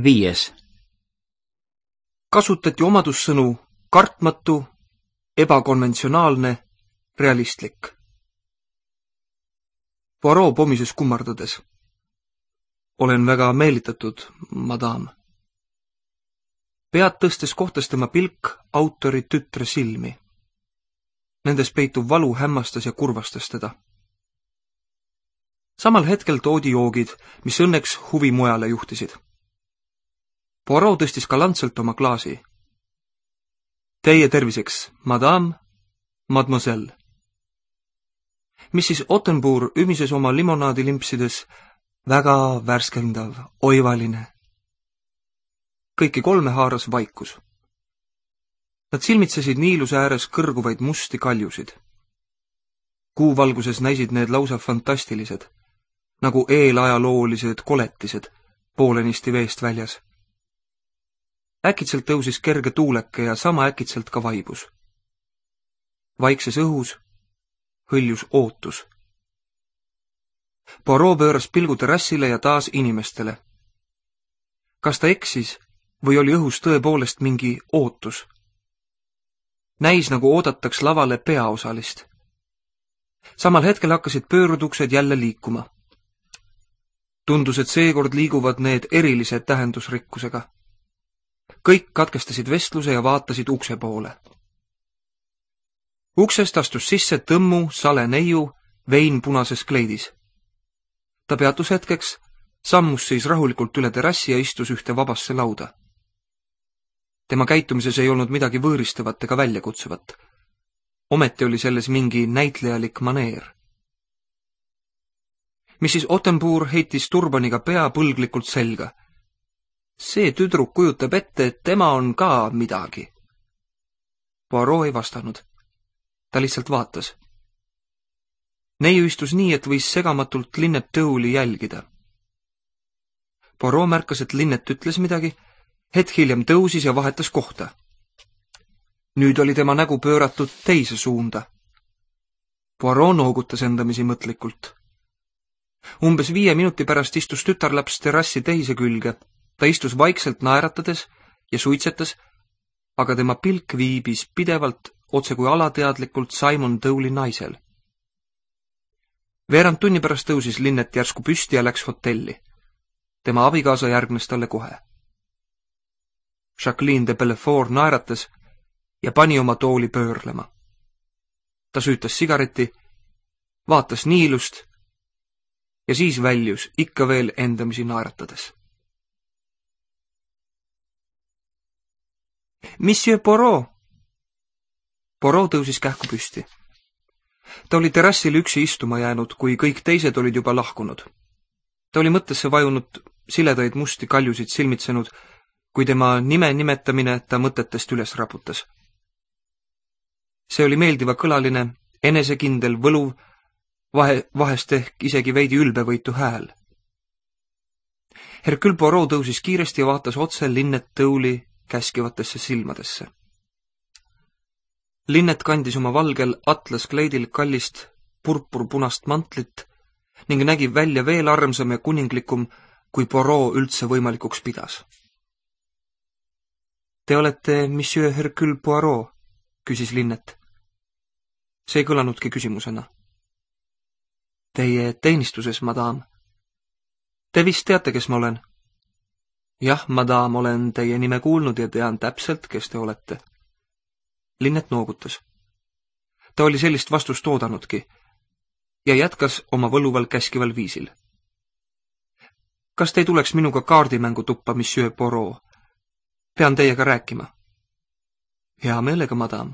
5. Kasutati omadussõnu kartmatu, ebakonventsionaalne, realistlik. Poirot pomises kummardades. Olen väga meelitatud, madam. Pead tõstes kohtas tema pilk autori tütre silmi. Nendes peituv valu hämmastas ja kurvastas teda. Samal hetkel toodi joogid, mis õnneks huvi mujale juhtisid. Poirot tõstis galantselt oma klaasi. Teie terviseks, madame, mademoiselle. Mrs. Ottenbourg ümises oma limonaadi limpsides, väga värskendav, oivaline. Kõiki kolme haaras vaikus. Nad silmitsesid niiluse ääres kõrguvaid musti kaljusid. Kuuvalguses näisid need lausa fantastilised, nagu eelajaloolised koletised, poolenisti veest väljas. Äkitselt tõusis kerge tuuleke ja sama äkitselt ka vaibus. Vaikses õhus hõljus ootus. Poirot pööras pilgu terrassile ja taas inimestele. Kas ta eksis või oli õhus tõepoolest mingi ootus? Näis, nagu oodataks lavale peaosalist. Samal hetkel hakkasid pööruduksed jälle liikuma. Tundus, et seekord liiguvad need erilise tähendusrikkusega. Kõik katkestasid vestluse ja vaatasid ukse poole. Uksest astus sisse tõmmu, sale neiu, vein punases kleidis. Ta peatus hetkeks, sammus siis rahulikult üle terrassi ja istus ühte vabasse lauda. Tema käitumises ei olnud midagi võõristavat ega väljakutsuvat. Ometi oli selles mingi näitlejalik maneer. Mrs. Ottenbourg heitis turbaniga pea põlglikult selga. See tüdruk kujutab ette, et tema on ka midagi. Poirot ei vastanud. Ta lihtsalt vaatas. Neiu istus nii, et võis segamatult Linnet Tõuli jälgida. Poirot märkas, et Linnet ütles midagi, hetk hiljem tõusis ja vahetas kohta. Nüüd oli tema nägu pööratud teise suunda. Poirot noogutas endamisi mõtlikult. Umbes 5 minuti pärast istus tütarlaps terrassi teise külge. Ta istus vaikselt naeratades ja suitsetas, aga tema pilk viibis pidevalt, otse kui alateadlikult Simon Tõuli naisel. Veerand tunni pärast tõusis Linnet järsku püsti ja läks hotelli. Tema abikaasa järgnes talle kohe. Jacqueline de Bellefort naeratas ja pani oma tooli pöörlema. Ta süütas sigareti, vaatas niilust ja siis väljus ikka veel endamisi naeratades. Monsieur Poirot! Poirot tõusis kähku püsti. Ta oli terrassil üksi istuma jäänud, kui kõik teised olid juba lahkunud. Ta oli mõttesse vajunud, siledaid musti kaljusid silmitsenud, kui tema nime nimetamine ta mõtetest üles raputas. See oli meeldiva kõlaline, enesekindel, võluv, vahest ehk isegi veidi ülbevõitu hääl. Hercule Poirot tõusis kiiresti ja vaatas otse Linnet Tõuli käskivatesse silmadesse. Linnet kandis oma valgel atlaskleidil kallist purpurpunast mantlit ning nägi välja veel armsam ja kuninglikum, kui Poirot üldse võimalikuks pidas. Te olete Monsieur Hercule Poirot, küsis Linnet. See ei kõlanudki küsimusena. Teie teenistuses, madame. Te vist teate, kes ma olen? Jah, madame, olen teie nime kuulnud ja tean täpselt, kes te olete. Linnet noogutas. Ta oli sellist vastust oodanudki ja jätkas oma võluval käskival viisil. Kas te ei tuleks minuga kaardimängu tuppa, Monsieur Poirot? Pean teiega rääkima. Hea meelega, madame.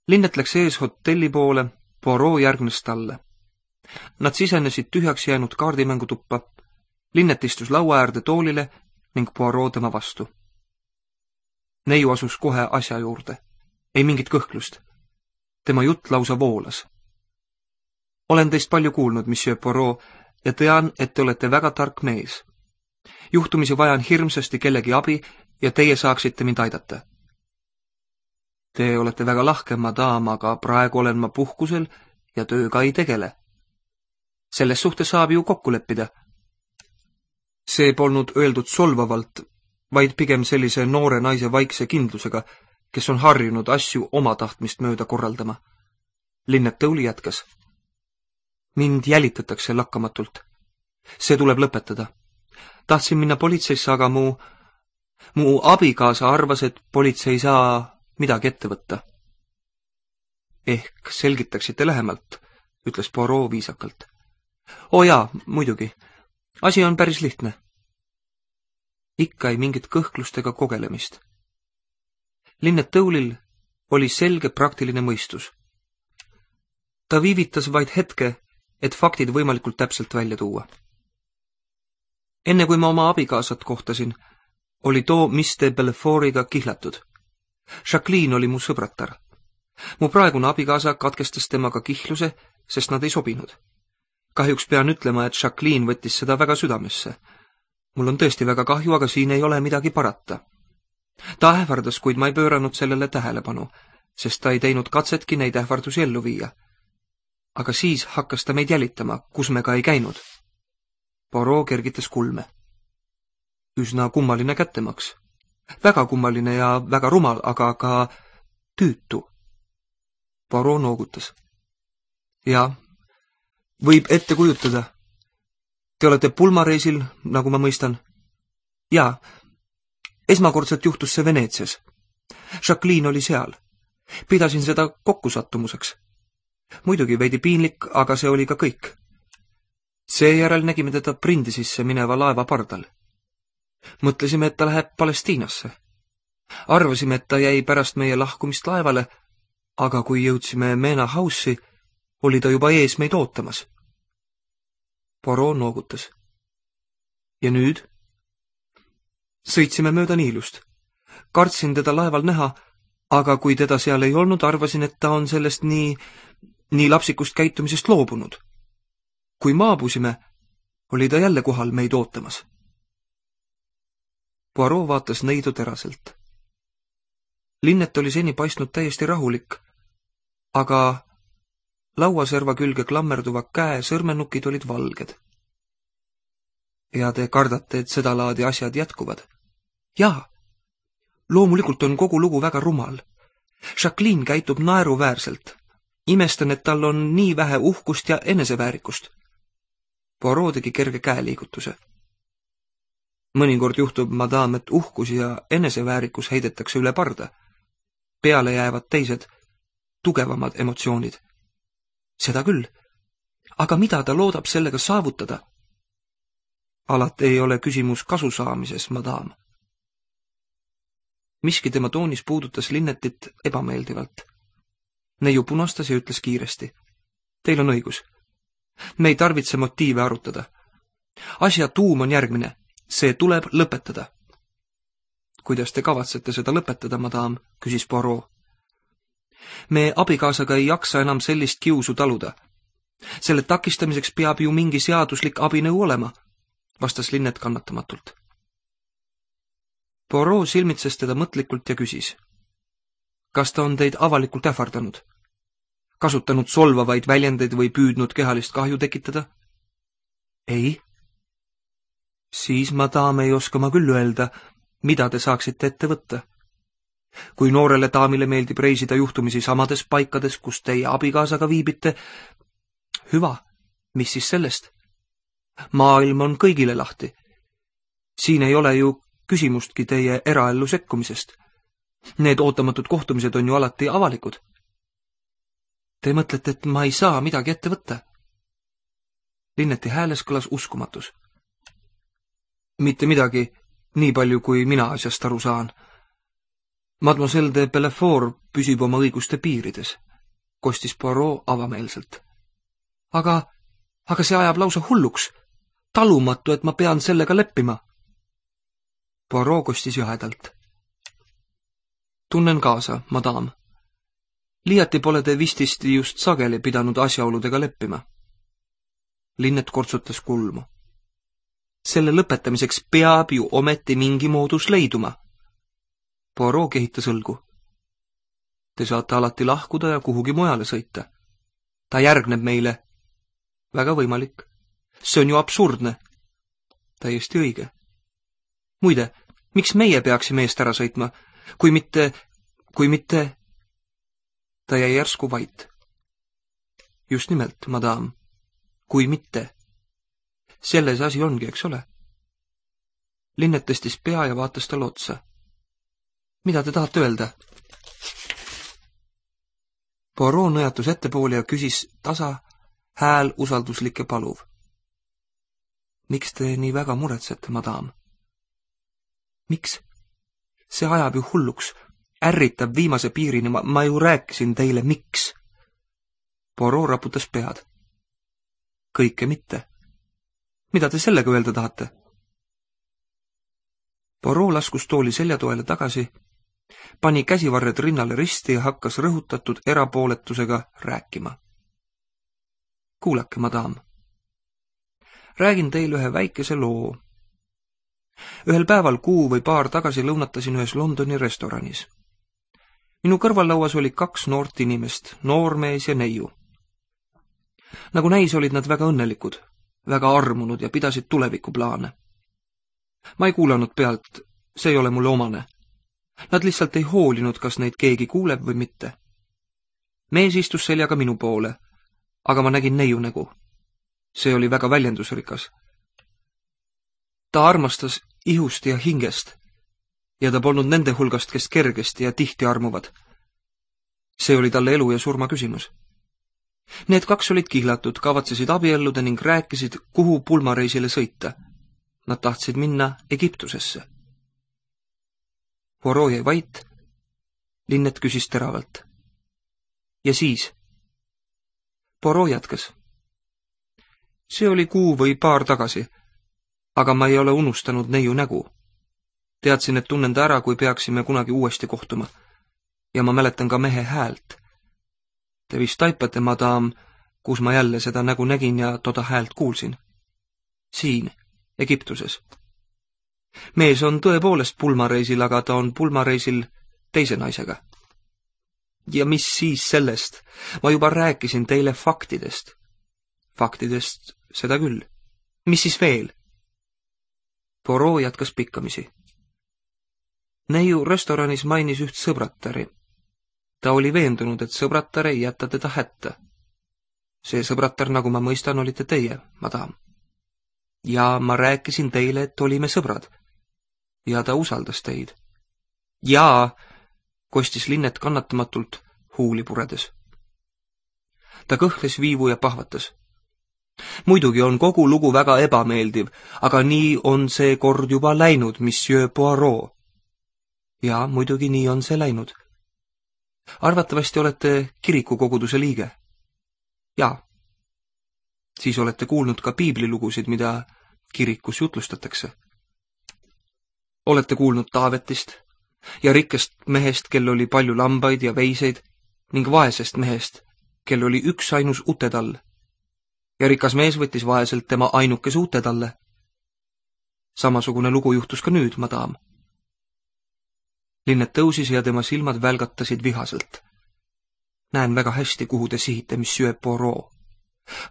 Linnet läks ees hotelli poole, Poirot järgnes talle. Nad sisenesid tühjaks jäänud kaardimängu tuppa. Linnet istus laua äärde toolile ning Poirot tema vastu. Neiu asus kohe asja juurde. Ei mingit kõhklust. Tema jutt lausa voolas. Olen teist palju kuulnud, Monsieur Poirot, ja tean, et te olete väga tark mees. Juhtumisi vajan hirmsasti kellegi abi ja teie saaksite mind aidata. Te olete väga lahke, madame, aga praegu olen ma puhkusel ja tööga ei tegele. Selles suhtes saab ju kokku leppida. See polnud öeldud solvavalt, vaid pigem sellise noore naise vaikse kindlusega, kes on harjunud asju oma tahtmist mööda korraldama. Linnet Tõuli jätkas. Mind jälitatakse lakkamatult. See tuleb lõpetada. Tahtsin minna politseisse, aga mu abikaasa arvas, et politsei ei saa midagi ette võtta. Ehk selgitaksite lähemalt, ütles Poirot viisakalt. Jaa, muidugi. Asi on päris lihtne. Ikka ei mingit kõhklust ega kogelemist. Linnet Tõulil oli selge praktiline mõistus. Ta viivitas vaid hetke, et faktid võimalikult täpselt välja tuua. Enne kui ma oma abikaasat kohtasin, oli too Miss de Bellefortiga kihlatud. Jacqueline oli mu sõbratar. Mu praegune abikaasa katkestas temaga kihluse, sest nad ei sobinud. Kahjuks pean ütlema, et Jacqueline võttis seda väga südamesse. Mul on tõesti väga kahju, aga siin ei ole midagi parata. Ta ähvardas, kuid ma ei pööranud sellele tähelepanu, sest ta ei teinud katsetki neid ähvardusi ellu viia. Aga siis hakkas ta meid jälitama, kus me ka ei käinud. Poirot kergitas kulme. Üsna kummaline kättemaks. Väga kummaline ja väga rumal, aga ka tüütu. Poirot noogutas. Jaa, võib ette kujutada. Te olete pulmareisil, nagu ma mõistan. Jaa, esmakordselt juhtus see Veneetsias. Jacqueline oli seal. Pidasin seda kokkusattumuseks. Muidugi veidi piinlik, aga see oli ka kõik. Seejärel nägime teda Brindisisse mineva laeva pardal. Mõtlesime, et ta läheb Palestiinasse. Arvasime, et ta jäi pärast meie lahkumist laevale, aga kui jõudsime Mena House'i, oli ta juba ees meid ootamas. Poirot noogutas. Ja nüüd? Sõitsime mööda Niilust. Kartsin teda laeval näha, aga kui teda seal ei olnud, arvasin, et ta on sellest nii lapsikust käitumisest loobunud. Kui maabusime, oli ta jälle kohal meid ootamas. Poirot vaatas neidu teraselt. Linnet oli seni paistnud täiesti rahulik, aga lauaserva külge klammerduva käe sõrmenukid olid valged. Ja te kardate, et seda laadi asjad jätkuvad? Jaa, loomulikult on kogu lugu väga rumal. Jacqueline käitub naeruväärselt. Imestan, et tal on nii vähe uhkust ja eneseväärikust. Poirot tegi kerge käeliigutuse. Mõnikord juhtub, madame, et uhkus ja eneseväärikus heidetakse üle parda. Peale jäävad teised, tugevamad emotsioonid. Seda küll. Aga mida ta loodab sellega saavutada? Alati ei ole küsimus kasu saamises, madame. Miski tema toonis puudutas Linnetit ebameeldivalt. Neiu punastas ja ütles kiiresti. Teil on õigus. Me ei tarvitse motiive arutada. Asja tuum on järgmine. See tuleb lõpetada. Kuidas te kavatsete seda lõpetada, madame, küsis Poirot. Me abikaasaga ei jaksa enam sellist kiusu taluda. Selle takistamiseks peab ju mingi seaduslik abinõu olema, vastas Linnet kannatamatult. Poirot silmitses teda mõtlikult ja küsis. Kas ta on teid avalikult ähvardanud? Kasutanud solvavaid väljendeid või püüdnud kehalist kahju tekitada? Ei. Siis, madame, ei oska ma küll öelda, mida te saaksite ette võtta. Kui noorele daamile meeldib reisida juhtumisi samades paikades, kus teie abikaasaga viibite, hüva, mis siis sellest? Maailm on kõigile lahti. Siin ei ole ju küsimustki teie eraellu sekkumisest. Need ootamatud kohtumised on ju alati avalikud. Te mõtlete, et ma ei saa midagi ette võtta? Linneti hääles kõlas uskumatus. Mitte midagi, nii palju kui mina asjast aru saan. Mademoiselle de Bellefort püsib oma õiguste piirides, kostis Poirot avameelselt. Aga see ajab lausa hulluks. Talumatu, et ma pean sellega leppima. Poirot kostis jahedalt. Tunnen kaasa, madame. Liiati pole te vististi just sageli pidanud asjaoludega leppima. Linnet kortsutas kulmu. Selle lõpetamiseks peab ju ometi mingi moodus leiduma. Poirot kehitas õlgu. Te saate alati lahkuda ja kuhugi mujale sõita. Ta järgneb meile. Väga võimalik. See on ju absurdne. täiesti õige. Muide, miks meie peaksime eest ära sõitma, kui mitte... Ta jäi järsku vait. Just nimelt, madam, kui mitte. Selles asi ongi, eks ole? Linnet tõstis pea ja vaatas talle otsa. Mida te tahate öelda? Poirot nõjatus ettepoole ja küsis tasa, hääl usalduslik ja paluv. Miks te nii väga muretsete, madam? Miks? See ajab ju hulluks, ärritab viimase piirini, ma ju rääkisin teile, miks? Poirot raputas pead. Kõike mitte. Mida te sellega öelda tahate? Poirot laskus tooli seljatoele tagasi, pani käsivarred rinnale risti ja hakkas rõhutatud erapooletusega rääkima. Kuulake, madam. Räägin teile ühe väikese loo. Ühel päeval kuu või paar tagasi lõunatasin ühes Londoni restoranis. Minu kõrvallauas oli 2 noort inimest, noormees ja neiu. Nagu näis, olid nad väga õnnelikud, väga armunud ja pidasid tulevikuplaane. Ma ei kuulanud pealt, see ei ole mulle omane. Nad lihtsalt ei hoolinud, kas neid keegi kuuleb või mitte. Mees istus seljaga minu poole, aga ma nägin neiu nägu. See oli väga väljendusrikas. Ta armastas ihust ja hingest ja ta polnud nende hulgast, kes kergesti ja tihti armuvad. See oli talle elu ja surma küsimus. Need 2 olid kihlatud, kavatsesid abielluda ning rääkisid, kuhu pulmareisile sõita. Nad tahtsid minna Egiptusesse. Poirot jäi vait. Linnet küsis teravalt. Ja siis? Poirot jätkas. See oli kuu või paar tagasi, aga ma ei ole unustanud neiu nägu. Teadsin, et tunnen ta ära, kui peaksime kunagi uuesti kohtuma. Ja ma mäletan ka mehe häält. Te vist taipate, madam, kus ma jälle seda nägu nägin ja toda häält kuulsin. Siin, Egiptuses. Mees on tõepoolest pulmareisil, aga ta on pulmareisil teise naisega. Ja mis siis sellest? Ma juba rääkisin teile faktidest. Faktidest seda küll. Mis siis veel? Poirot jätkas pikkamisi. Neiu restoranis mainis üht sõbrattari. Ta oli veendunud, et sõbrattar ei jätta teda hätta. See sõbrattar, nagu ma mõistan, olite teie, madam. Ja ma rääkisin teile, et olime sõbrad. Ja ta usaldas teid. Jaa, kostis Linnet kannatamatult, huuli puredes. Ta kõhles viivu ja pahvatas. Muidugi on kogu lugu väga ebameeldiv, aga nii on see kord juba läinud, monsieur Poirot. Ja muidugi nii on see läinud. Arvatavasti olete kirikukoguduse liige. Jaa. Siis olete kuulnud ka piiblilugusid, mida kirikus jutlustatakse. Olete kuulnud Taavetist ja rikkast mehest, kel oli palju lambaid ja veiseid, ning vaesest mehest, kel oli üksainus utetall. Ja rikas mees võttis vaeselt tema ainukese utetalle. Samasugune lugu juhtus ka nüüd, madam. Linnet tõusis ja tema silmad välgatasid vihaselt. Näen väga hästi, kuhu te sihite, monsieur Poirot.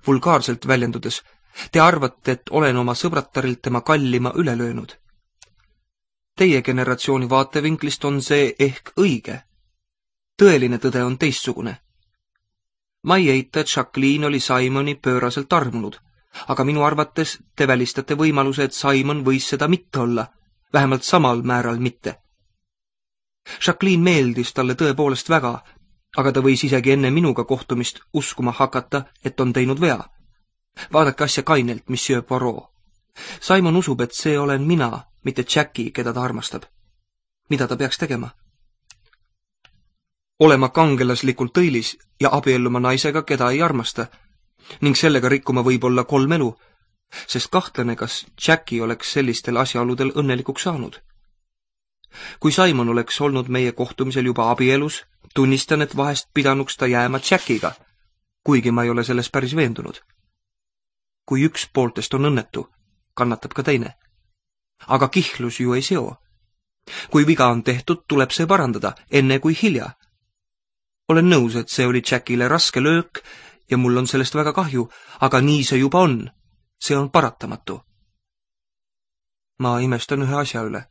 Vulgaarselt väljendudes, te arvate, et olen oma sõbrattarilt tema kallima üle löönud. Teie generatsiooni vaatevinklist on see ehk õige. Tõeline tõde on teistsugune. Ma ei eita, et Jacqueline oli Simoni pööraselt armunud, aga minu arvates te välistate võimaluse, et Simon võis seda mitte olla, vähemalt samal määral mitte. Jacqueline meeldis talle tõepoolest väga, aga ta võis isegi enne minuga kohtumist uskuma hakata, et on teinud vea. Vaadake asja kainelt, monsieur Poirot. Simon usub, et see olen mina, mitte Jackie, keda ta armastab. Mida ta peaks tegema? Olema kangelaslikult õilis ja abielluma naisega, keda ei armasta, ning sellega rikkuma võib-olla 3 elu, sest kahtlane, kas Jackie oleks sellistel asjaoludel õnnelikuks saanud. Kui Simon oleks olnud meie kohtumisel juba abielus, tunnistan, et vahest pidanuks ta jääma Jackiga, kuigi ma ei ole selles päris veendunud. Kui üks pooltest on õnnetu, kannatab ka teine. Aga kihlus ju ei seo. Kui viga on tehtud, tuleb see parandada, enne kui hilja. Olen nõus, et see oli Jackile raske löök ja mul on sellest väga kahju, aga nii see juba on. See on paratamatu. Ma imestan ühe asja üle.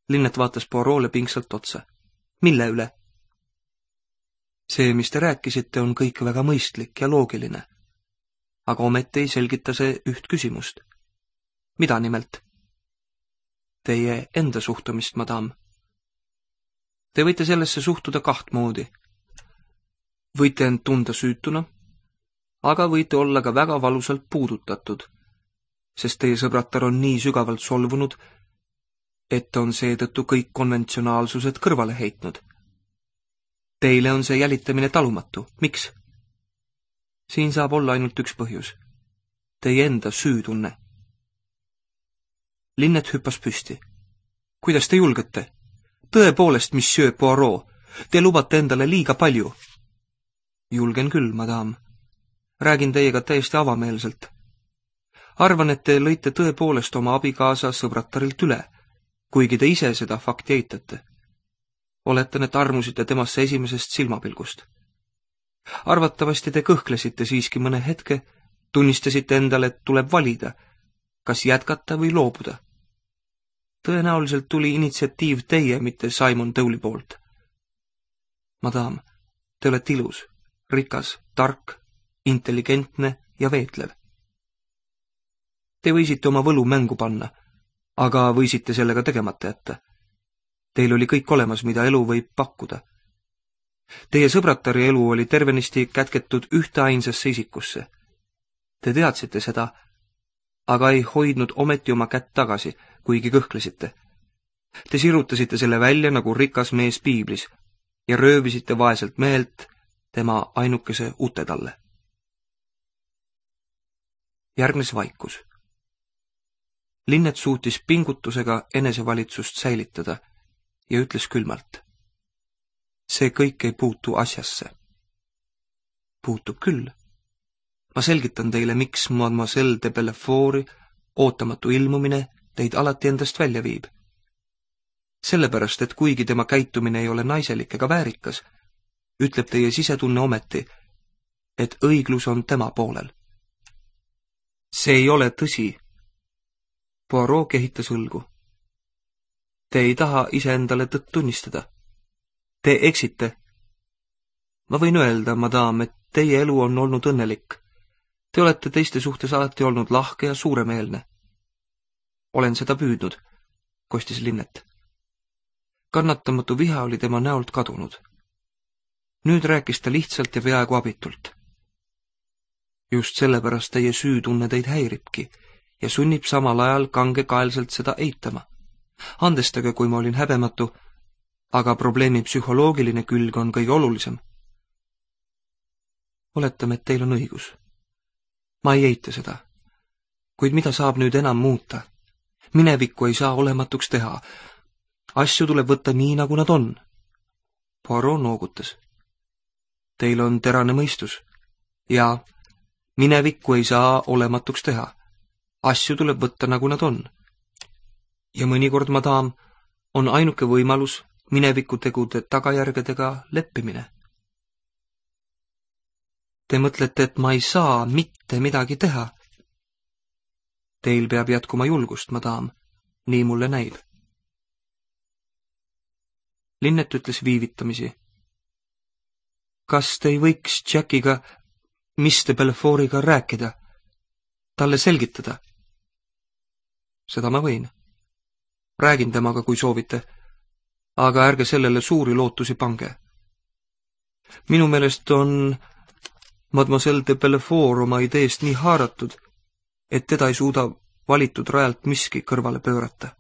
Linnet vaatas Poirot'le pingsalt otsa. Mille üle? See, mis te rääkisite, on kõik väga mõistlik ja loogiline. Aga ometi ei selgita see üht küsimust. Mida nimelt? Teie enda suhtumist, madam. Te võite sellesse suhtuda kaht moodi. Võite end tunda süütuna, aga võite olla ka väga valusalt puudutatud, sest teie sõbratar on nii sügavalt solvunud, et on seetõttu kõik konventsionaalsused kõrvale heitnud. Teile on see jälitamine talumatu. Miks? Siin saab olla ainult üks põhjus. Teie enda süütunne. Linnet hüppas püsti. Kuidas te julgete? Tõepoolest, monsieur Poirot, te lubate endale liiga palju. Julgen küll, madam. Räägin teiega täiesti avameelselt. Arvan, et te lõite tõepoolest oma abikaasa sõbratarilt üle, kuigi te ise seda fakti eitate. Oletan, et armusite temasse esimesest silmapilgust. Arvatavasti te kõhklesite siiski mõne hetke, tunnistasite endale, et tuleb valida, kas jätkata või loobuda. Tõenäoliselt tuli initsiatiiv teie, mitte Simon Dowley poolt. Madam, te olete ilus, rikas, tark, intelligentne ja veetlev. Te võisite oma võlu mängu panna, aga võisite sellega tegemata jätta. Teil oli kõik olemas, mida elu võib pakkuda. Teie sõbratari elu oli tervenisti kätketud ühte ainsasse isikusse. Te teadsite seda, aga ei hoidnud ometi oma kätt tagasi, kuigi kõhklesite. Te sirutasite selle välja nagu rikas mees piiblis ja röövisite vaeselt mehelt tema ainukese ute talle. Järgnes vaikus. Linnet suutis pingutusega enesevalitsust säilitada ja ütles külmalt. See kõik ei puutu asjasse. Puutub küll. Ma selgitan teile, miks mademoiselle de Bellefort'i ootamatu ilmumine teid alati endast välja viib. Sellepärast, et kuigi tema käitumine ei ole naiselik ega väärikas, ütleb teie sisetunne ometi, et õiglus on tema poolel. See ei ole tõsi. Poirot kehitas õlgu. Te ei taha iseendale tõtt tunnistada. Te eksite. Ma võin öelda, madam, et teie elu on olnud õnnelik. Te olete teiste suhtes alati olnud lahke ja suuremeelne. Olen seda püüdnud, kostis Linnet. Kannatamatu viha oli tema näolt kadunud. Nüüd rääkis ta lihtsalt ja peaaegu abitult. Just sellepärast teie süütunne teid häiribki ja sunnib samal ajal kangekaelselt seda eitama. Andestage, kui ma olin häbematu, aga probleemi psühholoogiline külg on kõige olulisem. Oletame, et teil on õigus. Ma ei eita seda. Kuid mida saab nüüd enam muuta? Minevikku ei saa olematuks teha. Asju tuleb võtta nii, nagu nad on. Poirot noogutas. Teil on terane mõistus. Ja minevikku ei saa olematuks teha. Asju tuleb võtta, nagu nad on. Ja mõnikord, madam, on ainuke võimalus mineviku tegude tagajärgedega leppimine. Te mõtlete, et ma ei saa mitte midagi teha. Teil peab jätkuma julgust, madam, nii mulle näib. Linnet ütles viivitamisi. Kas te ei võiks Jackiga, Miss de Bellefort'iga rääkida, talle selgitada? Seda ma võin. Räägin temaga, kui soovite, aga ärge sellele suuri lootusi pange. Minu meelest on mademoiselle de Bellefort oma ideest nii haaratud, et teda ei suuda valitud rajalt miski kõrvale pöörata.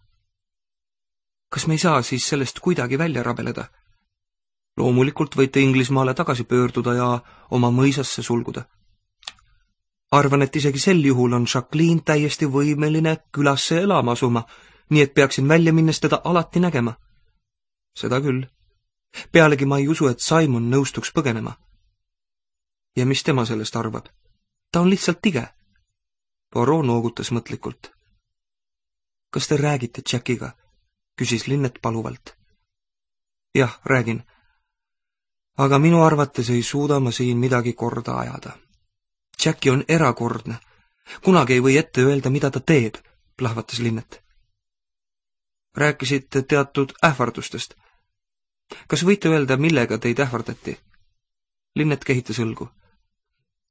Kas me ei saa siis sellest kuidagi välja rabeleda? Loomulikult võite Inglismaale tagasi pöörduda ja oma mõisasse sulguda. Arvan, et isegi sel juhul on Jacqueline täiesti võimeline külasse elama asuma, nii et peaksin välja minnes teda alati nägema. Seda küll. Pealegi ma ei usu, et Simon nõustuks põgenema. Ja mis tema sellest arvab? Ta on lihtsalt tige. Poirot noogutas mõtlikult. Kas te räägite Jackiga? Küsis Linnet paluvalt. Jah, räägin. Aga minu arvates ei suuda ma siin midagi korda ajada. Jacki on erakordne. Kunagi ei või ette öelda, mida ta teeb, plahvatas Linnet. rääkisite teatud ähvardustest. Kas võite öelda, millega teid ähvardati? Linnet kehitas õlgu.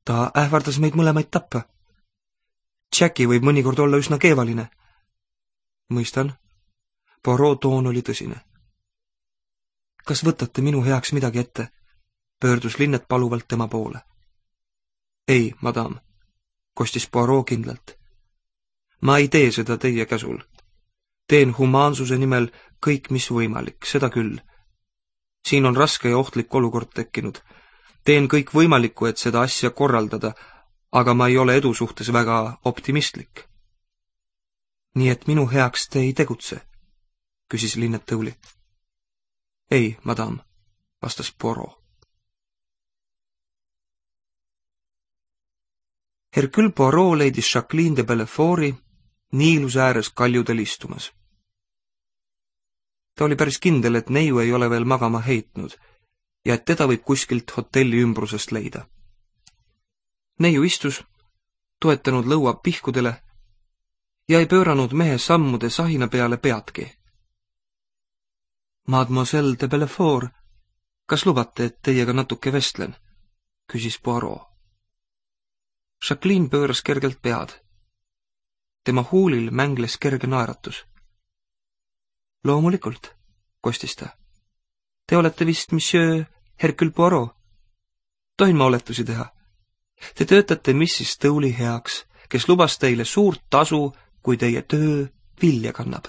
Ta ähvardas meid mõlemaid tappa. Jackie võib mõnikord olla üsna keevaline. Mõistan. Poirot toon oli tõsine. Kas võtate minu heaks midagi ette? Pöördus Linnet paluvalt tema poole. Ei, madam, kostis Poirot kindlalt. Ma ei tee seda teie käsul. Teen humaansuse nimel kõik, mis võimalik, seda küll. Siin on raske ja ohtlik olukord tekkinud. Teen kõik võimalikku, et seda asja korraldada, aga ma ei ole edu suhtes väga optimistlik. Nii et minu heaks te ei tegutse, küsis Linnet tõuli. Ei, madam, vastas Poirot. Hercule Poirot leidis Jacqueline de Bellefort'i Niiluse ääres kaljudel istumas. Ta oli päris kindel, et neiu ei ole veel magama heitnud ja et teda võib kuskilt hotelli ümbrusest leida. Neiu istus, toetanud lõua pihkudele ja ei pööranud mehe sammude sahina peale peadki. Mademoiselle de Bellefort, kas lubate, et teiega natuke vestlen? Küsis Poirot. Jacqueline pööras kergelt pead. Tema huulil mängles kerge naeratus. Loomulikult, kostis ta. Te olete vist monsieur Hercule Poirot. Tohin ma oletusi teha? Te töötate Mrs. Stowley heaks, kes lubas teile suurt tasu, kui teie töö vilja kannab.